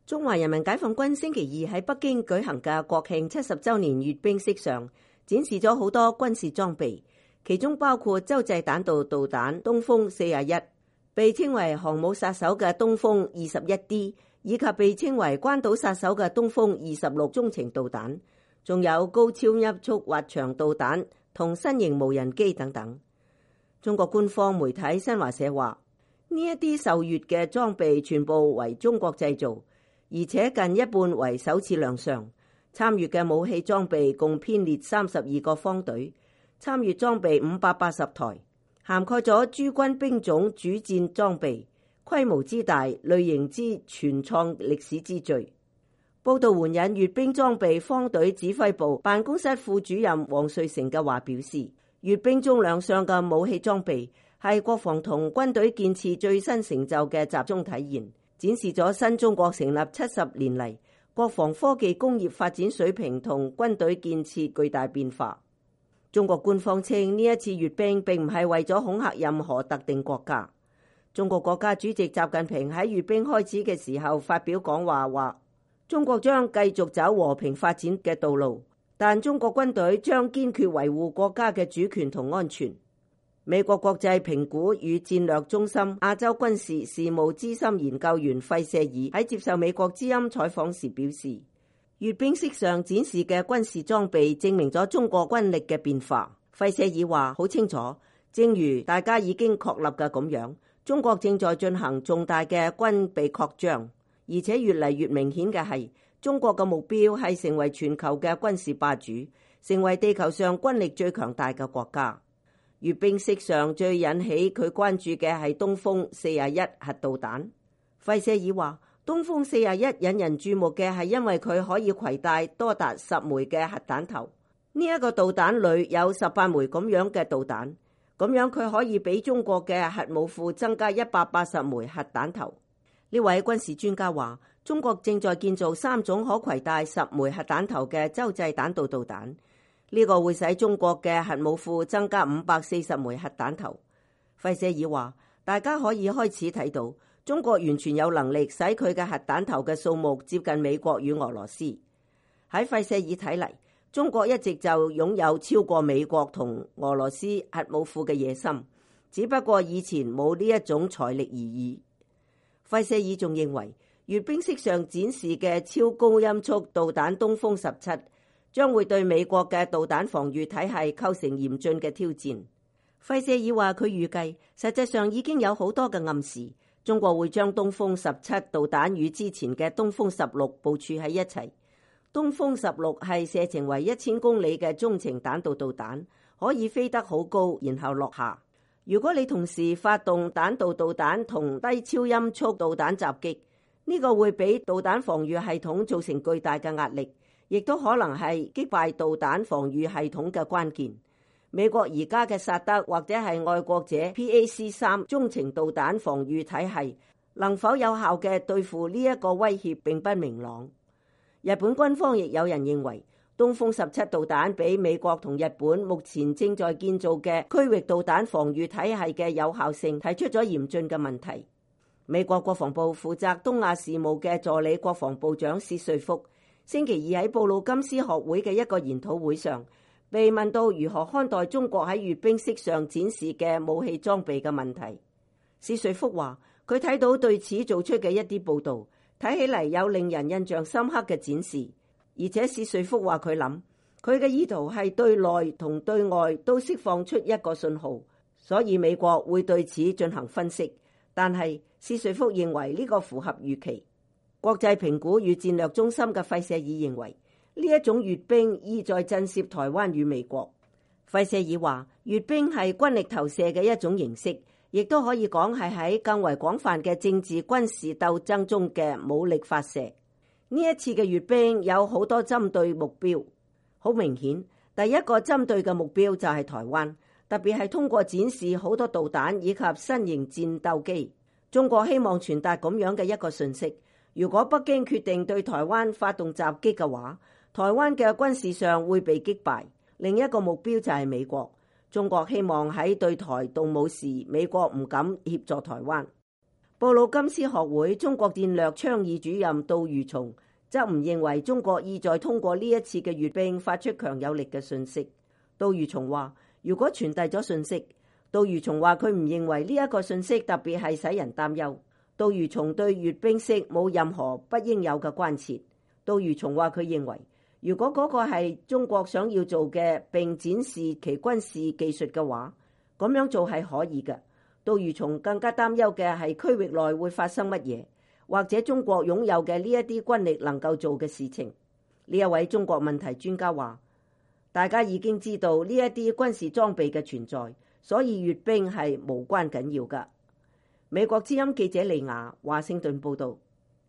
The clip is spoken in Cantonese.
中華人民解放軍星期二喺北京舉行嘅國慶70週年閱兵式上，展示咗好多軍事裝備，其中包括洲際彈道導彈東風41，被稱為航母殺手嘅東風21D，以及被稱為關島殺手嘅東風26中程導彈，仲有高超音速滑翔導彈同新型無人機等等。中國官方媒體新華社話，呢一啲受閱嘅裝備全部為中國製造，而且近一半為首次亮相。參與嘅武器裝備共編列32個方隊，參與裝備580台，涵蓋咗諸軍兵種主戰裝備，規模之大，類型之全創歷史之最。報道援引閱兵裝備方隊指揮部辦公室副主任王瑞成嘅話表示，閱兵中亮相嘅武器裝備係國防同軍隊建設最新成就嘅集中體現，展示咗新中國成立70年嚟國防科技工業發展水平同軍隊建設巨大變化。中國官方稱呢一次閱兵並唔係為咗恐嚇任何特定國家。中國國家主席習近平喺閱兵開始嘅時候發表講話，話中國將繼續走和平發展嘅道路，但中國軍隊將堅決維護國家嘅主權同安全。美國國際評估與戰略中心亞洲軍事事務資深研究員費舍爾喺接受美國之音採訪時表示，閱兵式上展示嘅軍事裝備證明咗中國軍力嘅變化。費舍爾話好清楚，正如大家已經確立嘅咁樣，中國正在進行重大嘅軍備擴張，而且越嚟越明顯嘅係，中國嘅目標係成為全球嘅軍事霸主，成為地球上軍力最強大嘅國家。閱兵式上最引起佢關注嘅係東風41核導彈。費舍爾話，東風41引人注目嘅係因為佢可以攜帶多達10枚嘅核彈頭。呢一個導彈裏有18枚咁樣嘅導彈，咁樣佢可以俾中國嘅核武庫增加180枚核彈頭。呢位軍事專家話，中國正在建造3種可攜帶10枚核彈頭嘅洲際彈道導彈。呢個會使中國嘅核武庫增加540枚核彈頭。費舍爾話，大家可以開始睇到，中國完全有能力使佢嘅核彈頭嘅數目接近美國與俄羅斯。喺費舍爾睇嚟，中國一直就擁有超過美國同俄羅斯核武庫嘅野心，只不過以前冇呢一種財力而已。費舍爾仲認為，閱兵式上展示嘅超高音速導彈東風17將會對美國嘅導彈防禦體系構成嚴峻嘅挑戰。費舍爾話，佢預計實際上已經有好多嘅暗示，中國會將東風17導彈與之前嘅東風16部署喺一齊。東風16係射程為1000公里嘅中程彈道導彈，可以飛得好高，然後落下。如果你同時發動彈道導彈同低超音速導彈襲擊，呢個會俾導彈防禦系統造成巨大嘅壓力，亦都可能係擊敗導彈防禦系統嘅關鍵。美國而家嘅薩德或者係愛國者 PAC-3 中程導彈防禦體系能否有效嘅對付呢一個威脅並不明朗。日本軍方亦有人認為，東風17導彈比美國同日本目前正在建造嘅區域導彈防禦體系嘅有效性提出咗嚴峻嘅問題。美國國防部負責東亞事務嘅助理國防部長薛瑞福星期二喺布魯金斯學會嘅一個研討會上，被問到如何看待中國喺閱兵式上展示嘅武器裝備嘅問題。薛瑞福話，佢睇到對此做出嘅一啲報導，睇起嚟有令人印象深刻嘅展示。而且薛瑞福話，佢諗佢嘅意圖係對內同對外都釋放出一個信號，所以美國會對此進行分析。但係薛瑞福認為呢個符合預期。國際評估與戰略中心嘅費舍爾認為，呢一種閱兵意在震懾台灣與美國。費舍爾話，閱兵係軍力投射嘅一種形式，亦都可以講係喺更為廣泛嘅政治軍事鬥爭中嘅武力發射。呢一次嘅閱兵有好多針對目標，好明顯，第一個針對嘅目標就係台灣，特別係通過展示好多導彈以及新型戰鬥機。中國希望傳達咁樣嘅一個訊息，如果北京決定對台灣發動襲擊嘅話，台灣嘅軍事上會被擊敗。另一個目標就係美國，中國希望喺對台動武時，美國唔敢協助台灣。布魯金斯學會中國戰略倡議主任杜如松則唔認為中國意在通過呢一次嘅閱兵發出強有力嘅訊息。杜如松話：如果傳遞咗訊息，杜如松話佢唔認為呢一個訊息特別係使人擔憂。杜如松對閱兵式冇任何不應有嘅關切。杜如松話佢認為，如果嗰個係中國想要做嘅並展示其軍事技術嘅話，咁樣做係可以嘅。杜如松更加擔憂嘅係區域內會發生乜嘢，或者中國擁有嘅呢一啲軍力能夠做嘅事情。呢一位中國問題專家話：大家已經知道呢一啲軍事裝備嘅存在，所以閱兵係無關緊要㗎。美國之音記者利亞華盛頓報道。